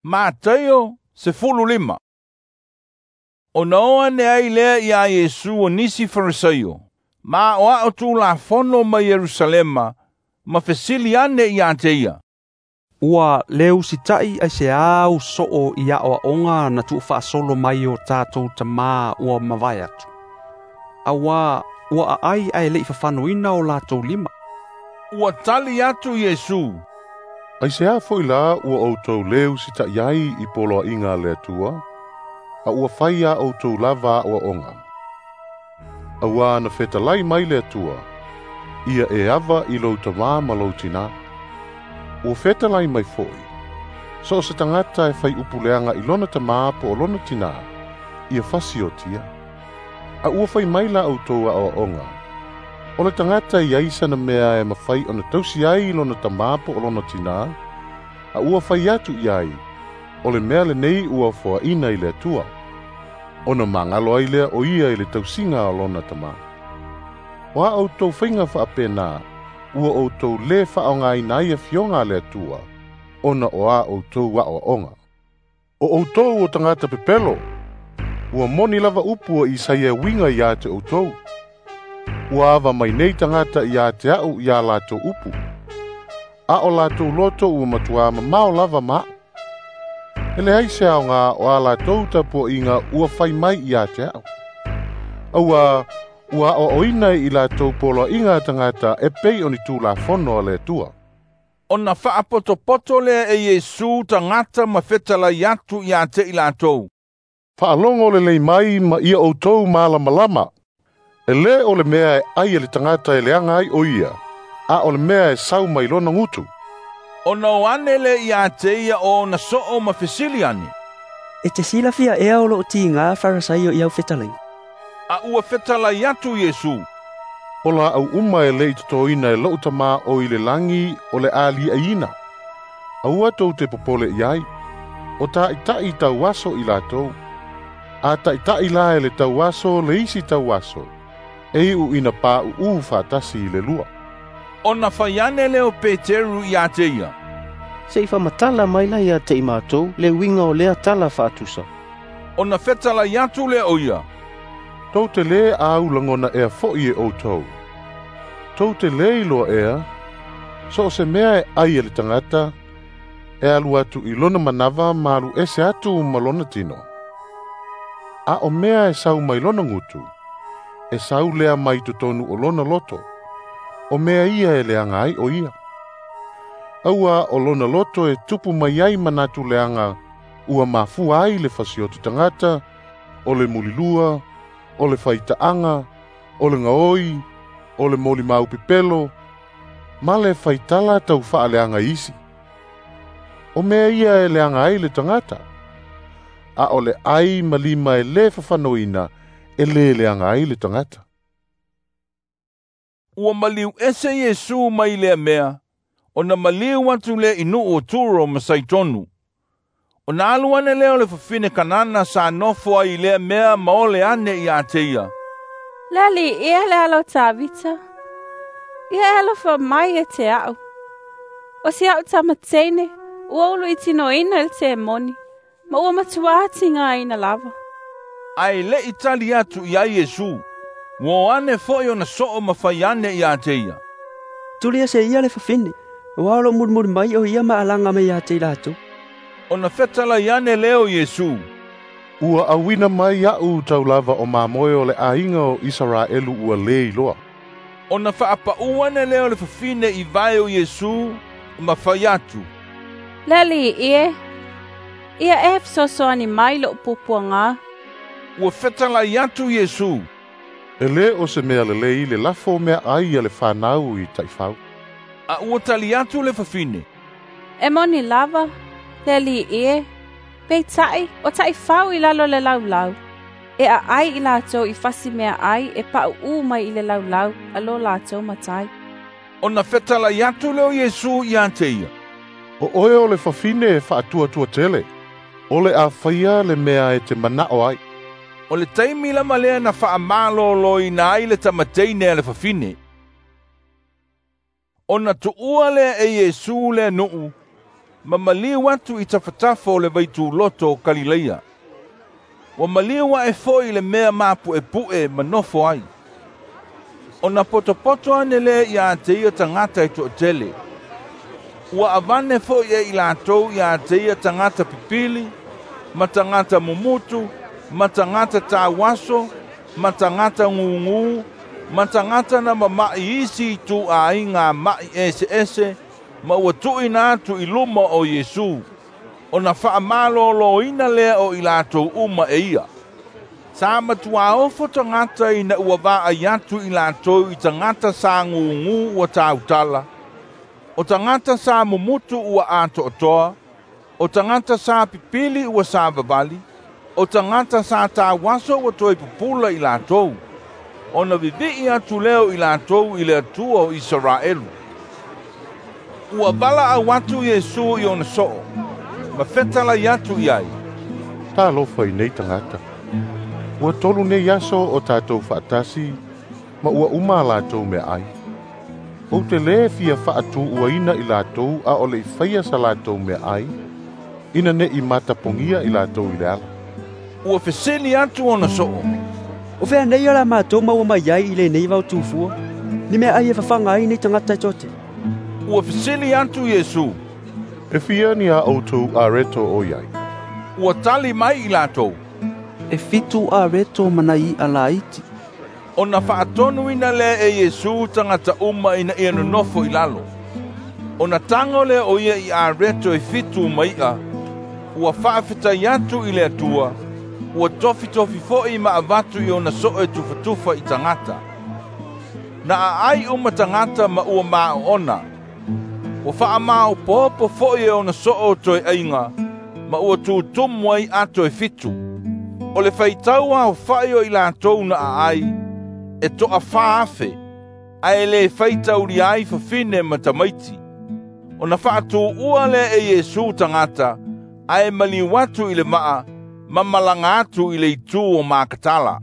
Mataio 15. Ona o ane ai lea iā Iesu o nisi Farisaio, ma aʻoaʻo Tulafono mai Ierusalema, ma fesili ane iā te ia. Ua le usitaʻi aiseā u soo i aʻoaʻoga na tuufaasolo mai o tatou tamā ua mavae atu. Auā ua aʻai ae leʻi fafanoina o latou lima. Ua tali atu Iesu. Aiseā foʻi lā ua ʻoutou lē usitaʻi ai i poloaʻiga a le Atua, a ua fai iā ʻoutou lava aʻoaʻoga. Auā na fetalai mai le Atua, ia e ava i lou tamā ma lou tinā. Ua fetalai mai foʻi, so o se tagata e fai upu leaga i lona tamā po o lona tinā, ia fasiotia. A ua fai mai la ʻoutou aʻoaʻoga, o le tagata i ai sana mea e mafai ona tausi ai i lona tamā po o lona tinā, a ua fai atu i ai, o le mea lenei ua foaʻina i le Atua. Ona magalo ai lea o ia i le tausiga o lona tamā. O a ʻoutou faiga faapena, ua ʻoutou lē faaaogāina ai afioga a le Atua, ona o a ʻoutou aʻoaʻoga. O ʻoutou o tagata pepelo, ua moni lava upu a Isaia e uiga iā te ʻoutou. Ua ava mai nei tagata iā te aʻu iā latou upu. A o latou loto ua matuā mamao lava ma aʻu. E leai se aogā o a latou tapuaʻiga ua fai mai iā te aʻu. Auā ua aʻoaʻoina i latou poloaʻiga a tagata e pei o ni Tulafono a le Atua. Ona faapotopoto lea e Iesu tagata ma fetalai atu iā te i latou. Faalogo lelei mai ma ia ʻoutou malamalama. E lē o le mea e ʻai e le tagata e leaga ai o ia, a o le mea e sau mai lona gutu. Ona o ane le iā te ia o ona soo ma fesili ane. E te silafia ea o loo tigā Farisaio i au fetalaiga. A ua fetalai atu Iesu. O laʻau uma e lē i totoina e loʻu Tamā o i le lagi o le a liʻaina. Aua tou te popole i ai. O taʻitaʻi tauaso i latou. A taʻitaʻi la e le tauaso le isi tauaso. E iʻu ina paʻuʻū faatasi i le lua. Ona fai ane lea o Peteru iā te ia. Se i faamatala mai la ia te i matou le uiga o lea tala faatusa. Ona fetalai atu lea o ia. Tou te lē au lagona ea foʻi e ʻoutou. Tou te lē iloa ea, so o se mea e ʻai e le tagata, e alu atu i lona manava ma alu ese atu ma lona tino. A o mea e sau mai lona gutu, e sau lea mai totonu o lona loto, o mea ia e leaga ai o ia. Auā o lona loto e tupu mai ai manatu leaga ua mafua ai le fasioti tagata, o le mulilua, o le faitaʻaga, o le gaoi, o le molimau pepelo, ma le faitala taufaaleaga isi. O mea ia e leaga ai le tagata, a o le ʻai ma lima e lē fafanoina e lē leaga ai le tagata. Ua maliu ese Iesu mai lea mea, ona maliu atu lea i nuu o Turo ma Saitonu. Ona alu ane lea o le fafine Kanana sa nofo ai i lea mea ma ole ane iā te ia. Le Alii e le alo o Tavita. Ia e alofa mai ia te aʻu. O si aʻu tama teine, ua uluitinoina e le temoni, ma ua matuā tigaina lava. Ae leʻi tali atu i ai Iesu. Ua o ane foʻi ona soo ma fai ane iā te ia. Tuli ese ia le fafine, auā o loo mulimuli mai o ia ma alaga mai ia te i latou. Ona fetalai ane lea o Iesu. Ua auina mai aʻu taulava o mamoe o le ʻaiga o Isaraelu ua lē iloa. Ona faapaʻu ane lea o le fafine i vae o Iesu ma fai atu. Le Alii e, ia e fesoasoani mai loʻu puapuagā. Ua fetalai atu Iesu. E lē o se mea lelei le lafo meaʻai a le fanau i taʻifau. A ua tali atu le fafine. E moni lava, le Alii e, peitai o taʻifau i lalo le laulau. E aʻai i latou i fasi meaʻai e paʻuʻū mai i le laulau a lo latou matai. Ona fetalai atu lea o Iesu iā te ia. O oe o le fafine e faatuatua tele, o le a faia le mea e te manaʻo ai. O le taimi lava lea na faamalōlōina ai le tamateine a le fafine. Ona tuua lea e Iesu lea nuu, Ma maliu atu i tafatafa o le vaituloto o Kalileia. Ua maliu ae foi i le mea mapu'epu'e ma nofo ai. Ona potopoto ane lea ia te ia tagata e to'atele. Ua avane foi e i latou ia te ia tagata pipili, ma tagata mumutu, ma tagata tauaso, ma tagata gugū, ma tagata na mama'i isi itu'āiga ma'i eseese, ma ua tu'uina atu i luma o Iesu. Ona fa'amalōlōina lea o i latou uma e ia. Sa matuā ofo tagata ina ua vaai atu i latou i tagata sa gugū ua tautala, o tagata sa mumutu ua ato'atoa, o tagata sa pipili ua savavali, o tagata sa tauaso ua toe pupula i latou. Ona vivi'i atu lea o i latou i le Atua o Isaraelu. Ua vala'au atu Iesu i ona so'o, ma fetalai atu i ai, Talofa i nei tagata. Ua 3 nei aso o tātou fa'atasi, ma ua uma a latou meaʻai. Ou te lē fia fa'atū'uaina i latou a o le'i faia sa latou meaʻai, ina ne'i matapogia i latou i le ala. Ua fesili atu ona so'o, O fea nei o la mātou maua mai ai i lenei vaotufua? Ni meaʻai e fafaga ai nei tagata e toatele. Ua fesili atu Iesu, E fia ni a outou areto o iai? Ua tali mai i latou, E 7 areto ma nai i'a laiti. Ona fa'atonuina lea e Iesu tagata uma ina ia nonofo i lalo. Ona tago lea o ia i areto e 7 ma i'a, ua fa'afetai atu i le Atua, ua tofitofi fo'i ma avatu i ona so'o e tufatufa i tagata. Na a'ai uma tagata ma ua mā'o'ona. Ua fa'amaopoopo fo'i e ona so'o toe aiga, ma ua tutumu ai ato e 7. O le faitau aofa'i o i latou na a'ai, e to'a 4,000, ae lē faitaulia ai fafine ma tamaiti. Ona fa'atū'ua lea e Iesu tagata, ae maliu atu i le va'a, ma malaga atu i le itū o Makatala.